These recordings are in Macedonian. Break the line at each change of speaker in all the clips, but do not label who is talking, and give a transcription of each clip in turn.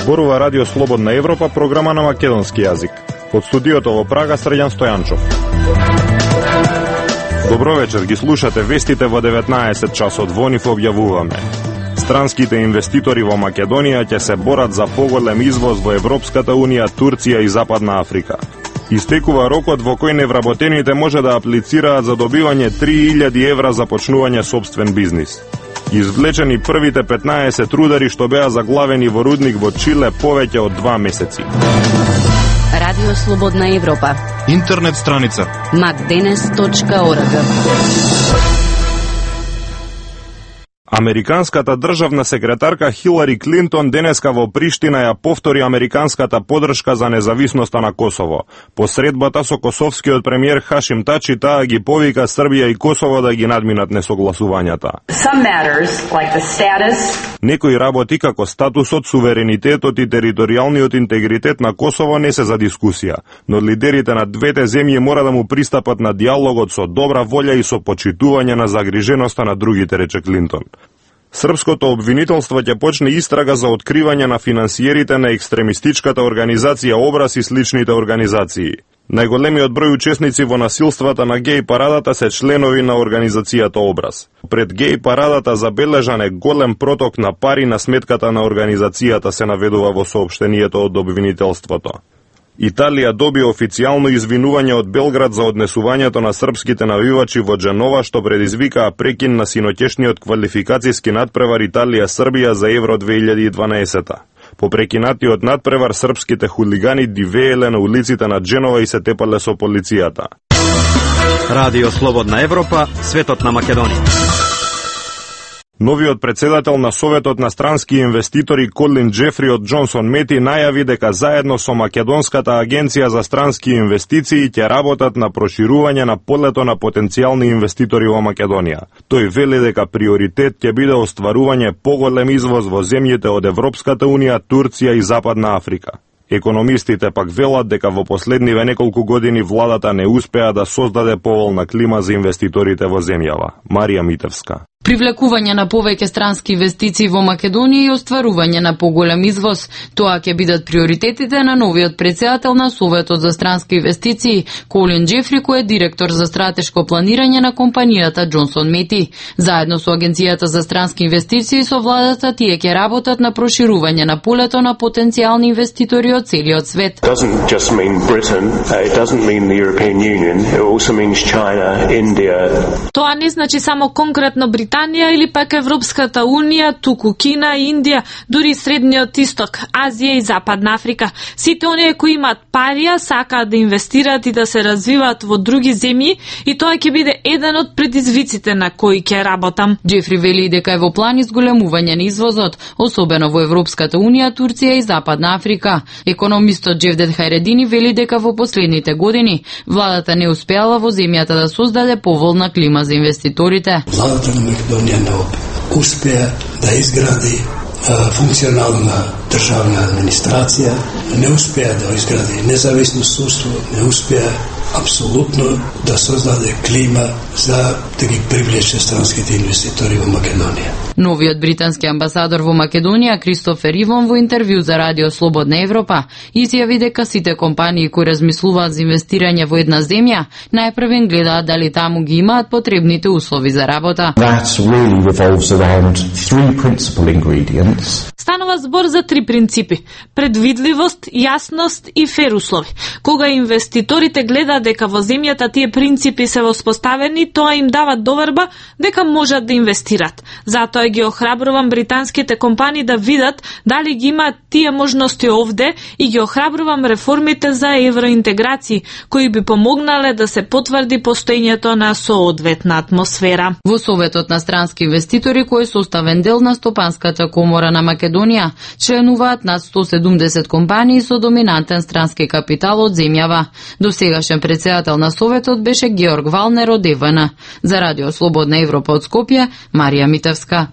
Зборува Радио Слободна Европа, програма на македонски јазик. Од студиото во Прага, Срđan Стојанчов. Добро вечер, ги слушате вестите во 19 часот. Во нив објавуваме: странските инвеститори во Македонија ќе се борат за поголем извоз во Европската Унија, Турција и Западна Африка. Истекува рокот во кој невработените може да аплицираат за добивање 3000 евра за почнување собствен бизнис. Извлечени првите 15 рудари што беа заглавени во рудник во Чиле повеќе од 2 месеци.
Радио Слободна Европа.
Интернет страница
macdenes.org.
Американската државна секретарка Хилари Клинтон денеска во Приштина ја повтори американската поддршка за независноста на Косово. По средбата со косовскиот премиер Хашим Тачи, таа ги повика Србија и Косово да ги надминат несогласувањата. Некои работи како статусот, суверенитетот и територијалниот интегритет на Косово не се за дискусија, но лидерите на двете земји мора да му пристапат на диалогот со добра волја и со почитување на загриженоста на другите, рече Клинтон. Српското обвинителство ќе почне истрага за откривање на финансиерите на екстремистичката организација Образ и сличните организации. Најголемиот број учесници во насилствата на геј парадата се членови на организацијата Образ. Пред геј парадата забележан е голем проток на пари на сметката на организацијата, се наведува во соопштението од обвинителството. Италија доби официјално извинување од Белград за однесувањето на српските навивачи во Дженова, што предизвикаа прекин на синоќешниот квалификацијски надпревар Италија-Србија за Евро 2012. По прекинатиот надпревар српските хулигани дивееле на улиците на Дженова и се тепале со полицијата.
Радио Слободна Европа, светот на Македонија.
Новиот председател на Советот на странски инвеститори Колин Џефри од Джонсон Мети најави дека заедно со Македонската агенција за странски инвестиции ќе работат на проширување на полето на потенцијални инвеститори во Македонија. Тој вели дека приоритет ќе биде остварување поголем извоз во земјите од Европската Унија, Турција и Западна Африка. Економистите пак велат дека во последниве неколку години владата не успеа да создаде поволна клима за инвеститорите во земјава. Марија Митевска.
Привлекување на повеќе странски инвестиции во Македонија и остварување на поголем извоз, тоа ќе бидат приоритетите на новиот председател на Советот за странски инвестиции, Колин Џефри, кој е директор за стратешко планирање на компанијата Джонсон Мети. Заедно со Агенцијата за странски инвестиции со владата тие ќе работат на проширување на полето на потенцијални инвеститори од целиот свет.
Тоа не значи само конкретно Британија или пак Европската Унија, туку Кина, Индија, дури Средниот Исток, Азија и Западна Африка. Сите оние кои имаат парија сакаат да инвестираат и да се развиваат во други земји и тоа ќе биде еден од предизвиците на кои ќе работам.
Џефри вели дека е во план изголемување на извозот, особено во Европската Унија, Турција и Западна Африка. Економистот Џевдет Хајредини вели дека во последните години владата не успеала во земјата да создаде поволна клима за инвеститорите.
Владата на Македонија не успеа да изгради функционална државна администрација, не успеа да изгради независно судство, не успеа апсолутно да создаде клима за да ги привлече странските инвеститори во Македонија.
Новиот британски амбасадор во Македонија, Кристофер Ивон, во интервју за Радио Слободна Европа, изјави дека сите компании кои размислуваат за инвестирање во една земја, најпрвен гледаат дали таму ги имаат потребните услови за работа.
Станува збор за 3 принципи: предвидливост, јасност и фер услови. Кога инвеститорите гледаат дека во земјата тие принципи се воспоставени, тоа им дава доверба дека можат да инвестират. Затоа ги охрабрувам британските компании да видат дали ги имаат тие можности овде и ги охрабрувам реформите за евроинтеграција, кои би помогнале да се потврди постоењето на соодветна атмосфера.
Во Советот на странски инвеститори, кој е составен дел на Стопанската комора на Македонија, членуваат над 170 компании со доминантен странски капитал од земјава. Досегашен председател на Советот беше Георг Валнер од ЕВН. За Радио Слободна Европа од Скопје, Марија Митевска.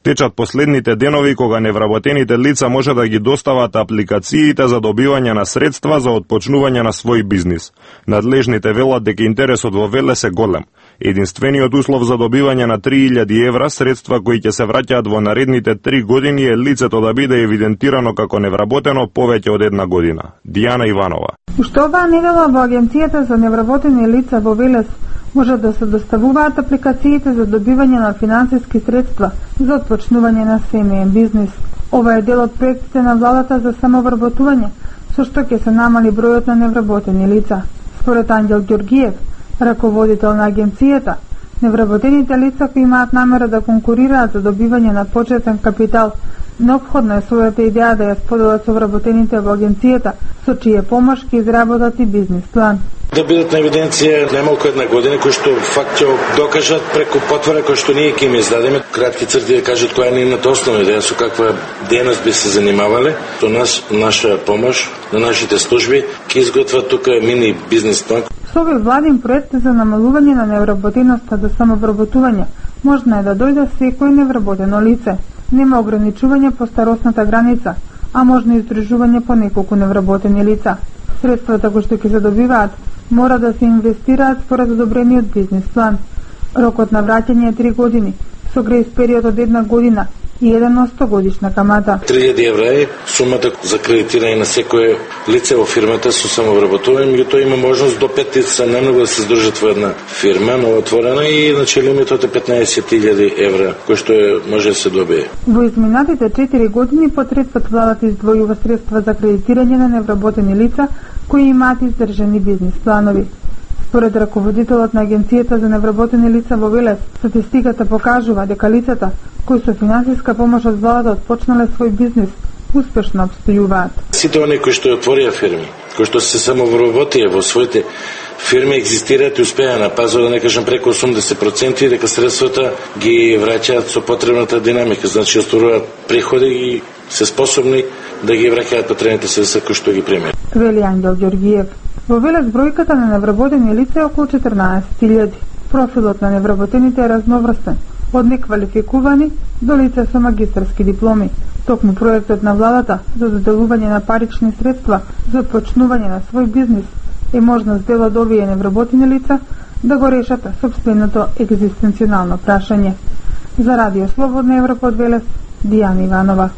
Течат последните денови кога невработените лица може да ги достават апликациите за добивање на средства за отпочнување на свој бизнис. Надлежните велат дека интересот во ВЛС е голем. Единствениот услов за добивање на 3000 евра средства кои ќе се враќаат во наредните 3 години е лицето да биде евидентирано како невработено повеќе од 1 година. Дијана Иванова.
Уште оваа недела во Агенцијата за невработени лица во Велес може да се доставуваат апликациите за добивање на финансиски средства за отпочнување на семеен бизнис. Ова е дел од проектите на владата за самовработување, со што ќе се намали бројот на невработени лица. Според Ангел Ѓоргиев, раководител на агенцијата, невработените лица кои имаат намера да конкурираат за добивање на почетен капитал, неопходно е својата идеја да ја споделат со вработените во агенцијата, со чија помош ќе изработат и бизнис план.
Да бидат на евиденција најмалку 1 година, кои што факт ќе докажат преку потвора кој што ние ќе им издадеме, кратки црти да кажат која е нивната основна идеја, со каква дејност би се занимавале. Со наша помош на нашите служби ќе изготват тука мини бизнис план.
Со овој владин проект за намалување на невработеноста до самовработување можно е да дојде секој невработено лице. Нема ограничување по старосната граница, а можно и издружување по неколку невработени лица. Средствата кои што ќе се добиваат мора да се инвестираат според одобрениот бизнис план. Рокот на враќање е 3 години, со грејс период од 1 година и 1% годишна камата.
3000 евра е сумата за кредитирање на секое лице во фирмата со самовработување, меѓутоа има можност до 5 лица најмногу да се здружат во една фирма новоотворена и значи лимитот е 15.000 евра, кој што може да се добие.
Во изминатите 4 години потред пат владата издвојува средства за кредитирање на невработени лица кои имаат издржани бизнис планови. Според раководителот на Агенцијата за невработени лица во Велес, статистиката покажува дека лицата кои со финансиска помош од владата отпочнале свој бизнис успешно обстојуваат.
Сите оние кои што отворија фирми, кои што се самовработија во своите фирми, екзистираат и успеа на пазар, да не кажам преку 80%, и дека средствата ги враќаат со потребната динамика, значи остваруваат приходи и се способни да ги враќаат потребните средства кои што ги примат.
Вели Ангел Ѓоргиев. Во Велес бројката на невработени лица е околу 14.000. Профилот на невработените е разноврстен, од неквалификувани до лица со магистарски дипломи. Токму проектот на владата за доделување на парични средства за почнување на свој бизнис е можност дел од овие невработени лица да го решат сопственото екзистенционално прашање. За Радио Слободна Европа од Велес, Дијана Иванова.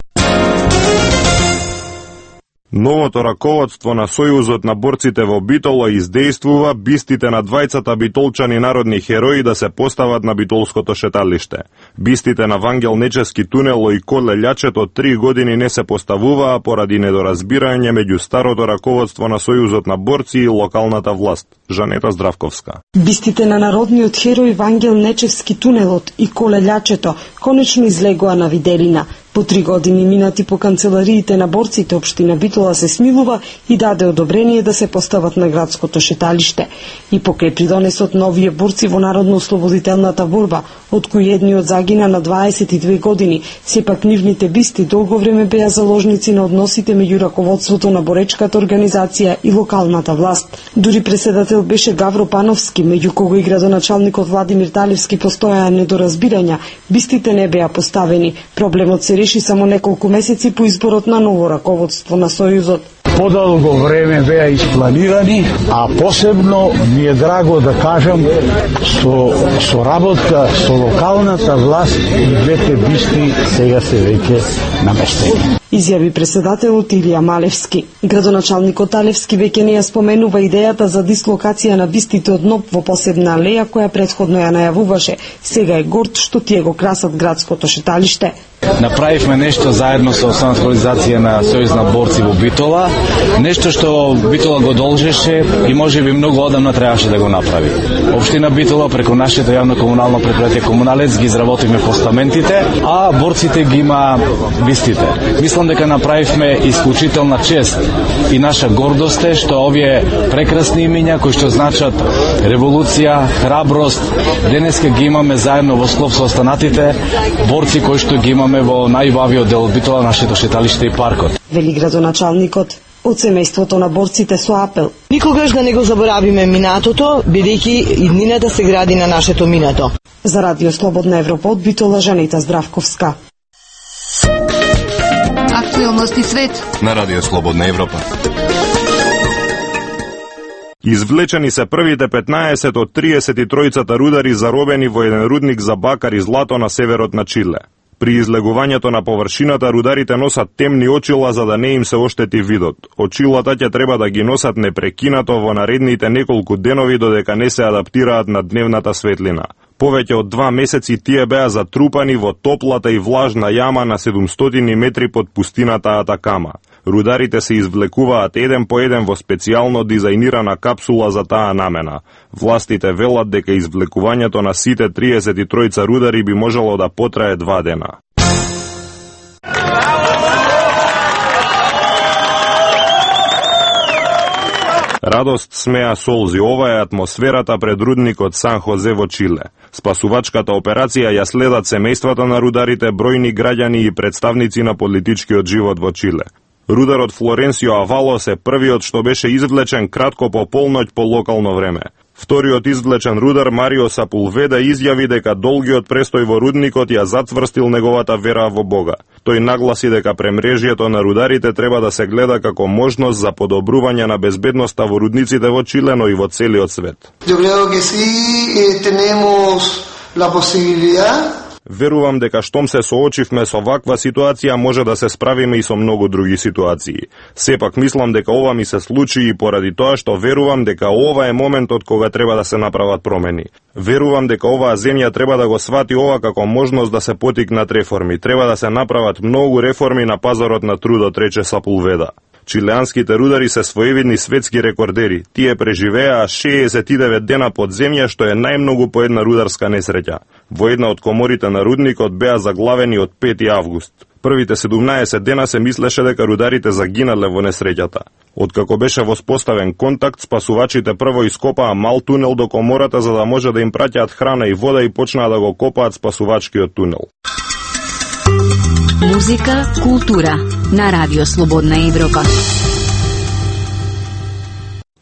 Новото раководство на Сојузот на борците во Битоло издействува бистите на двајцата битолчани народни херои да се постават на битолското шеталиште. Бистите на Вангел Нечевски тунело и Коле Љачето 3 години не се поставуваа поради недоразбирање меѓу старото раководство на Сојузот на борци и локалната власт. Жанета Здравковска.
Бистите на народниот херој Вангел Нечевски тунелот и Коле Љачето конечно излегоа на виделина. По 3 години минати по канцелариите на борците, општина Битола се смилува и даде одобрение да се постават на градското шеталиште. И покрај придонесот на овие борци во народно-ослободителната борба, од кои едниот загина на 22 години, сепак нивните бисти долго време беа заложници на односите меѓу раководството на боречката организација и локалната власт. Дури преседател беше Гавро Пановски, меѓу кого и градоначалникот Владимир Талевски постојаа недоразбирања, бистите не беа поставени. Проблемот се реши само неколку месеци по изборот на ново раководство на Сојузот.
Подолго време беа испланирани, а посебно ми е драго да кажам со работа со локалната власт и двете бисти сега се веќе наместени.
Изјави преседателот Илија Малевски. Градоначалникот Талевски веќе не ја споменува идејата за дислокација на бистите од НОП во посебна алеја која претходно ја најавуваше. Сега е горд што тие го красат градското шеталиште.
Направивме нешто заедно со Основната организација на Сојуз на борци во Битола, нешто што Битола го должеше и можеби многу одамна требаше да го направи. Општина Битола преку нашето јавно комунално предпријатие Комуналец ги изработивме постаментите, а борците ги има бистите. Мислам дека направивме исклучителна чест и наша гордост е што овие прекрасни имиња кои што значат револуција, храброст, денеска ги имаме заедно во слов со останатите борци кои што ги имаме во најубавиот дел од Битола, нашето шеталиште и паркот.
Вели градоначалникот од семејството на борците со апел.
Никогаш да не го заборавиме минатото, бидејќи иднината се гради на нашето минато.
За Радио Слободна Европа од Битола, Жанета Здравковска.
Актуелности свет
на Радио Слободна Европа.
Извлечени се првите 15 од 33 рудари заробени во еден рудник за бакар и злато на северот на Чиле. При излегувањето на површината рударите носат темни очила за да не им се оштети видот. Очилата ќе треба да ги носат непрекинато во наредните неколку денови додека не се адаптираат на дневната светлина. Повеќе од 2 месеци тие беа затрупани во топлата и влажна јама на 700 метри под пустината Атакама. Рударите се извлекуваат еден по еден во специјално дизајнирана капсула за таа намена. Властите велат дека извлекувањето на сите 33 рудари би можело да потрае 2 дена. Радост, смеа, солзи, ова е атмосферата пред рудникот Сан Хозе во Чиле. Спасувачката операција ја следат семејствата на рударите, бројни граѓани и представници на политичкиот живот во Чиле. Рударот Флоренсио Авалос е првиот што беше извлечен кратко по полноќ по локално време. Вториот извлечен рудар Марио Сапулведа изјави дека долгиот престој во рудникот ја затврстил неговата вера во Бога. Тој нагласи дека премрежјето на рударите треба да се гледа како можност за подобрување на безбедноста во рудниците во Чиле, но и во целиот свет. Верувам дека штом се соочивме со ваква ситуација може да се справиме и со многу други ситуации. Сепак мислам дека ова ми се случи и поради тоа што верувам дека ова е моментот кога треба да се направат промени. Верувам дека оваа земја треба да го свати ова како можност да се потикнат реформи. Треба да се направат многу реформи на пазарот на трудот, рече Сапулведа. Чилеанските рудари се своевидни светски рекордери. Тие преживеа 69 дена под земја, што е најмногу по една рударска несреќа. Во една од коморите на рудникот беа заглавени од 5 август. Првите 17 дена се мислеше дека рударите загинале во несреќата. Откако беше воспоставен контакт, спасувачите прво ископаа мал тунел до комората за да може да им праќаат храна и вода и почнаа да го копаат спасувачкиот тунел.
Музика, култура на Радио Слободна Европа.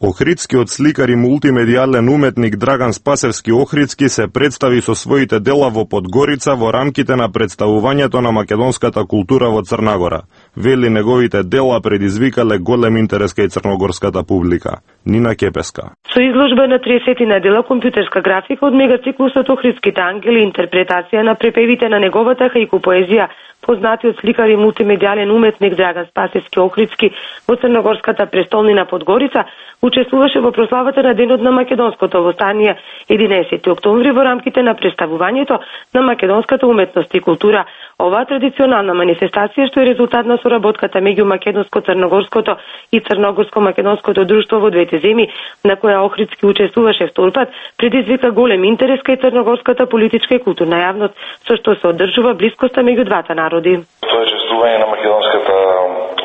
Охридскиот сликар и мултимедијален уметник Драган Спасевски Охридски се представи со своите дела во Подгорица во рамките на представувањето на македонската култура во Црна Гора. Вели неговите дела предизвикале голем интерес кај црногорската публика. Нина Кепеска.
Со изложба на 30 на дела компјутерска графика од мегациклусот Охридските ангели, интерпретација на препевите на неговата хаику поезија, познатиот сликар и мултимедијален уметник Драган Спасевски Охридски во црногорската престолнина Подгорица учествуваше во прославата на Денот на македонското востание 11 октомври во рамките на представувањето на македонската уметност и култура. Оваа традиционална манифестација, што е резултат на соработката меѓу македонско-црногорското и црногорско-македонското друштво во двете земји, на која Охридски учествуваше вторпат, предизвика голем интерес кај црногорската политичка и културна јавност, со што се одржува блискоста меѓу двата народи.
Тоа е чествување на македонската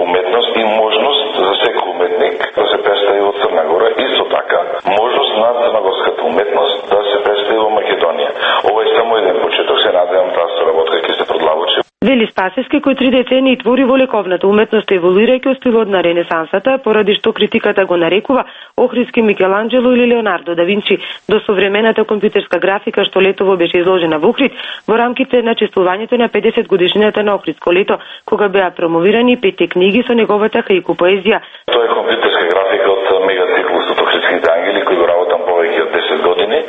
уметност и можност за секој уметник да се представи во Црна Гора, исто така можност на црногорската уметност да се представи во Македонија. Ова е само еден почеток, се надевам таа соработка ќе се продлабочи.
Вели Спасевски, кој 3 децении твори во лековната уметност, еволуирајќи од стилот на Ренесансата, поради што критиката го нарекува Охридски Микеланџело или Леонардо да Винчи, до современата компјутерска графика што летово беше изложена во Охрид во рамките на чествувањето на 50 годишнината на Охридско лето, кога беа промовирани 5 книги со неговата хаику поезија.
Тоа е компјутерска графика од мегациклусот Охридските ангели, кој го работам повеќе од 10 години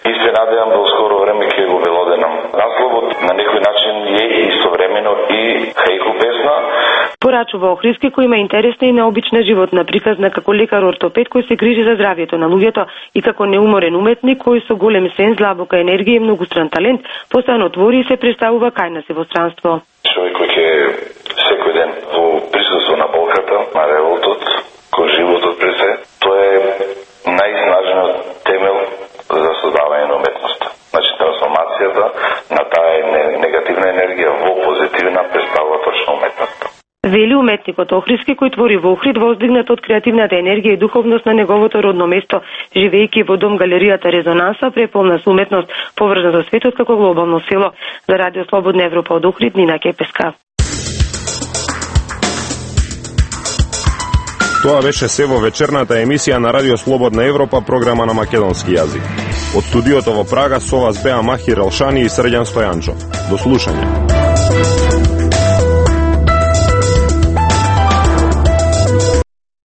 и се надевам да скоро време ќе го белоденам. Насловот на некој начин е истовремено и хаику песна.
Порачува Охридски, кој има интересна и необична животна приказна како лекар-ортопед кој се грижи за здравјето на луѓето и како неуморен уметник кој со голем сенс, длабока енергија и многустран талент постојано твори и се представува кај нас во странство.
Човек кој ќе секој ден во присуство на болката, на револтот, кој животот пред се, тоа е најснажниот темел за создавање на уметноста. Значи трансформацијата на таа негативна енергија во позитивна представува точно уметноста.
Вели уметникот Охридски, кој твори во Охрид, воздигнат од креативната енергија и духовност на неговото родно место, живејќи во дом галеријата Резонанса, преполна со уметност, поврзана со светот како глобално село. За Радио Слободна Европа од Охрид, Нина Кепеска.
Тоа беше се во вечерната емисија на Радио Слободна Европа, програма на македонски јазик. Од студиото во Прага со вас беа Махир Елшани и Срđan Стојанчов. До слушање.